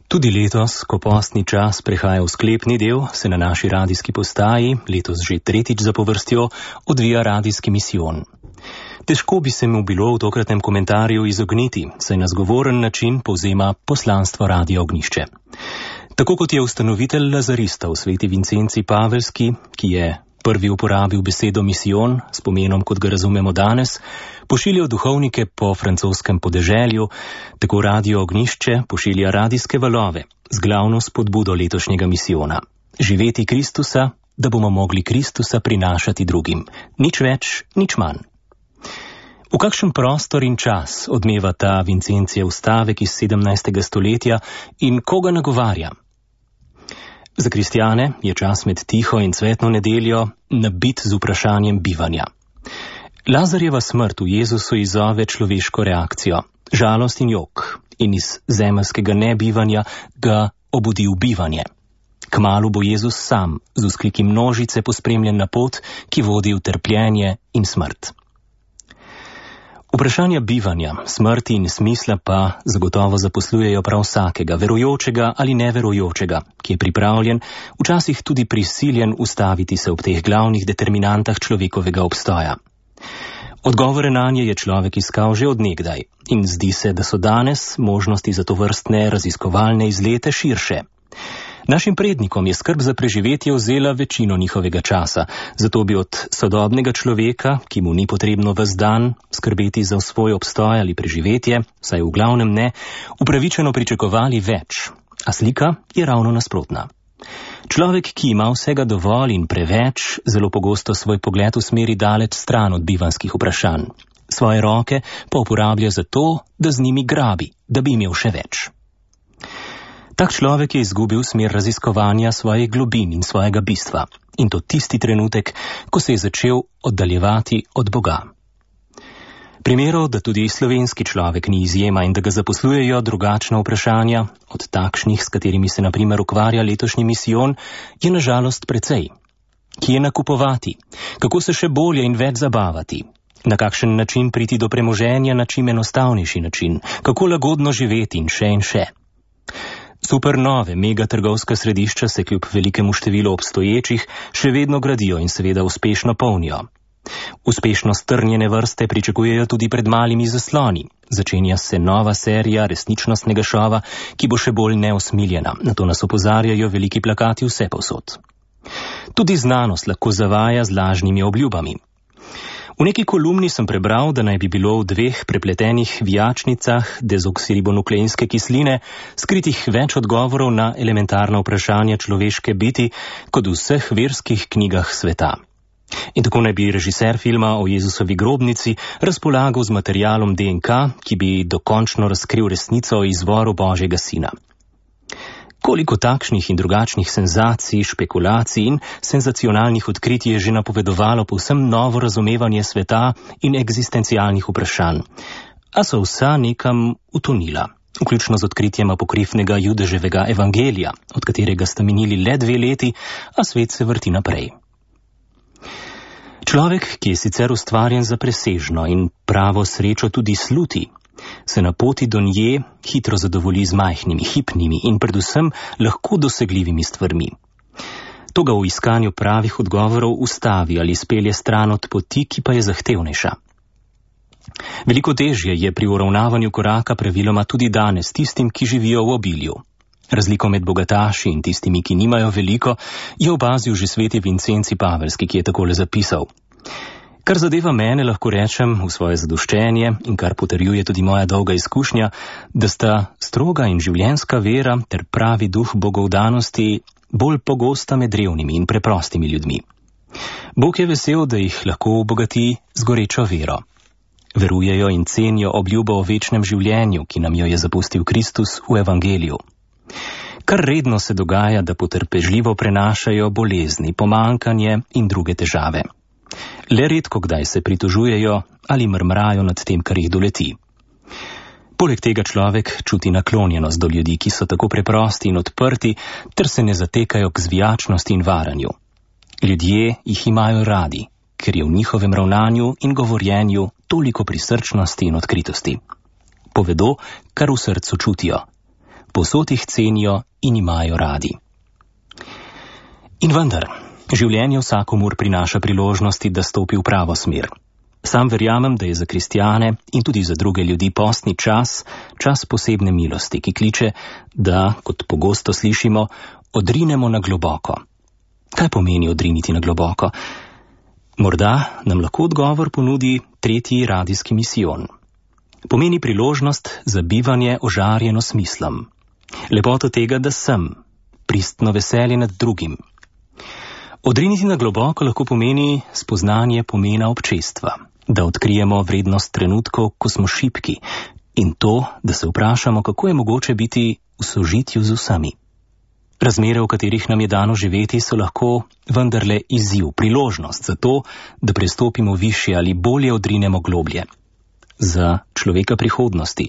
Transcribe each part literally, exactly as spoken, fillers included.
Tudi letos, ko postni čas prehaja v sklepni del, se na naši radijski postaji, letos že tretjič zapovrstjo, odvija radijski misijon. Težko bi se mu bilo v tokratnem komentarju izogniti, saj na zgovoren način povzema poslanstvo Radia Ognjišče. Tako kot je ustanovitelj lazaristov sveti Vincenci Pavelski, ki je prvi uporabil besedo misijon s pomenom, kot ga razumemo danes, pošiljal duhovnike po francoskem podeželju, tako Radio Ognjišče pošilja radijske valove z glavno spodbudo letošnjega misijona. Živeti Kristusa, da bomo mogli Kristusa prinašati drugim. Nič več, nič manj. V kakšen prostor in čas odmeva ta Vincencijev stavek iz sedemnajstega stoletja in koga nagovarja? Za kristjane je čas med tiho in cvetno nedeljo nabit z vprašanjem bivanja. Lazarjeva smrt v Jezusu izzove človeško reakcijo, žalost in jok, in iz zemeljskega nebivanja ga obudi v bivanje. Kmalu bo Jezus sam z vzkliki množice pospremljen na pot, ki vodi v trpljenje in smrt. Vprašanja bivanja, smrti in smisla pa zagotovo zaposlujejo prav vsakega, verujočega ali neverujočega, ki je pripravljen, včasih tudi prisiljen ustaviti se ob teh glavnih determinantah človekovega obstoja. Odgovore nanje je človek iskal že od nekdaj in zdi se, da so danes možnosti za tovrstne raziskovalne izlete širše. Našim prednikom je skrb za preživetje vzela večino njihovega časa, zato bi od sodobnega človeka, ki mu ni potrebno ves dan skrbeti za svoj obstoj ali preživetje, saj v glavnem ne, upravičeno pričakovali več, a slika je ravno nasprotna. Človek, ki ima vsega dovolj in preveč, zelo pogosto svoj pogled usmeri daleč stran od bivanskih vprašanj. Svoje roke pa uporablja za to, da z njimi grabi, da bi imel še več. Tak človek je izgubil smer raziskovanja svojih globin in svojega bistva. In to tisti trenutek, ko se je začel oddaljevati od Boga. Primerov, da tudi slovenski človek ni izjema in da ga zaposlujejo drugačna vprašanja, od takšnih, s katerimi se na primer ukvarja letošnji misijon, je na žalost precej. Kje nakupovati? Kako se še bolje in več zabavati? Na kakšen način priti do premoženja na čim enostavnejši način? Kako lagodno živeti in še in še? Supernove megatrgovska središča se kljub velikemu številu obstoječih še vedno gradijo in seveda uspešno polnijo. Uspešno strnjene vrste pričakujejo tudi pred malimi zasloni. Začenja se nova serija resničnostnega šova, ki bo še bolj neusmiljena. Na to nas opozarjajo veliki plakati vsepovsod. Tudi znanost lahko zavaja z lažnimi obljubami. V neki kolumni sem prebral, da naj bi bilo v dveh prepletenih vijačnicah dezoksiribonukleinske kisline skritih več odgovorov na elementarna vprašanja človeške biti kot v vseh verskih knjigah sveta. In tako naj bi režiser filma o Jezusovi grobnici razpolagal z materialom D N K, ki bi dokončno razkril resnico o izvoru Božjega sina. Koliko takšnih in drugačnih senzacij, špekulacij in senzacionalnih odkritij je že napovedovalo povsem novo razumevanje sveta in eksistencialnih vprašanj, a so vsa nekam utonila, vključno z odkritjem apokrifnega Judeževega evangelija, od katerega sta minili le dve leti, a svet se vrti naprej. Človek, ki je sicer ustvarjen za presežno in pravo srečo tudi sluti, se na poti do nje hitro zadovolji z majhnimi, hipnimi in predvsem lahko dosegljivimi stvarmi. To ga v iskanju pravih odgovorov ustavi ali spelje stran od poti, ki pa je zahtevnejša. Veliko težje je pri uravnavanju koraka praviloma tudi danes tistim, ki živijo v obilju. Razliko med bogataši in tistimi, ki nimajo veliko, je opazil že sveti Vincenci Pavelski, ki je takole zapisal. Kar zadeva mene, lahko rečem v svoje zadoščenje in kar potrjuje tudi moja dolga izkušnja, da sta stroga in življenjska vera ter pravi duh bogovdanosti bolj pogosta med revnimi in preprostimi ljudmi. Bog je vesel, da jih lahko obogati z gorečo vero. Verujejo in cenijo obljubo o večnem življenju, ki nam jo je zapustil Kristus v evangeliju. Kar redno se dogaja, da potrpežljivo prenašajo bolezni, pomankanje in druge težave. Le redko kdaj se pritožujejo ali mrmrajo nad tem, kar jih doleti. Poleg tega človek čuti naklonjenost do ljudi, ki so tako preprosti in odprti, ter se ne zatekajo k zvijačnosti in varanju. Ljudje jih imajo radi, ker je v njihovem ravnanju in govorjenju toliko prisrčnosti in odkritosti. Povedo, kar v srcu čutijo. povsod jih cenijo in imajo radi. In vendar, življenje vsakomur prinaša priložnosti, da stopi v pravo smer. Sam verjamem, da je za kristjane in tudi za druge ljudi postni čas, čas posebne milosti, ki kliče, da, kot pogosto slišimo, odrinemo na globoko. Kaj pomeni odriniti na globoko? Morda nam lahko odgovor ponudi tretji radijski misijon. Pomeni priložnost za bivanje ožarjeno smislom. Lepoto tega, da sem, pristno veselje nad drugim. Odriniti na globoko lahko pomeni spoznanje pomena občestva, da odkrijemo vrednost trenutkov, ko smo šibki, in to, da se vprašamo, kako je mogoče biti v sožitju z vsemi. Razmere, v katerih nam je dano živeti, so lahko vendarle izziv, priložnost za to, da prestopimo višje ali bolje odrinemo globlje. Za človeka prihodnosti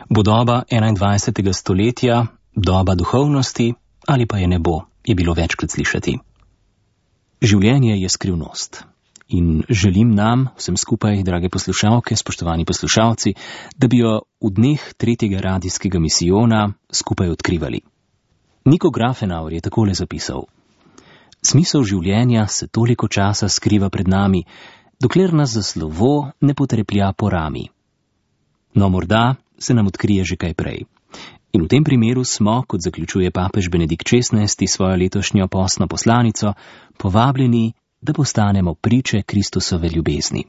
bo doba enaindvajsetega stoletja, doba duhovnosti ali pa je ne bo, je bilo večkrat slišati. Življenje je skrivnost in želim nam, vsem skupaj, drage poslušalke, spoštovani poslušalci, da bi jo v dneh tretjega radijskega misijona skupaj odkrivali. Niko Grafenauer je takole zapisal: Smisel življenja se toliko časa skriva pred nami, dokler nas za slovo ne potreplja po rami. No, morda se nam odkrije že kaj prej. In v tem primeru smo, kot zaključuje papež Benedikt šestnajsti svojo letošnjo postno poslanico, povabljeni, da postanemo priče Kristusove ljubezni.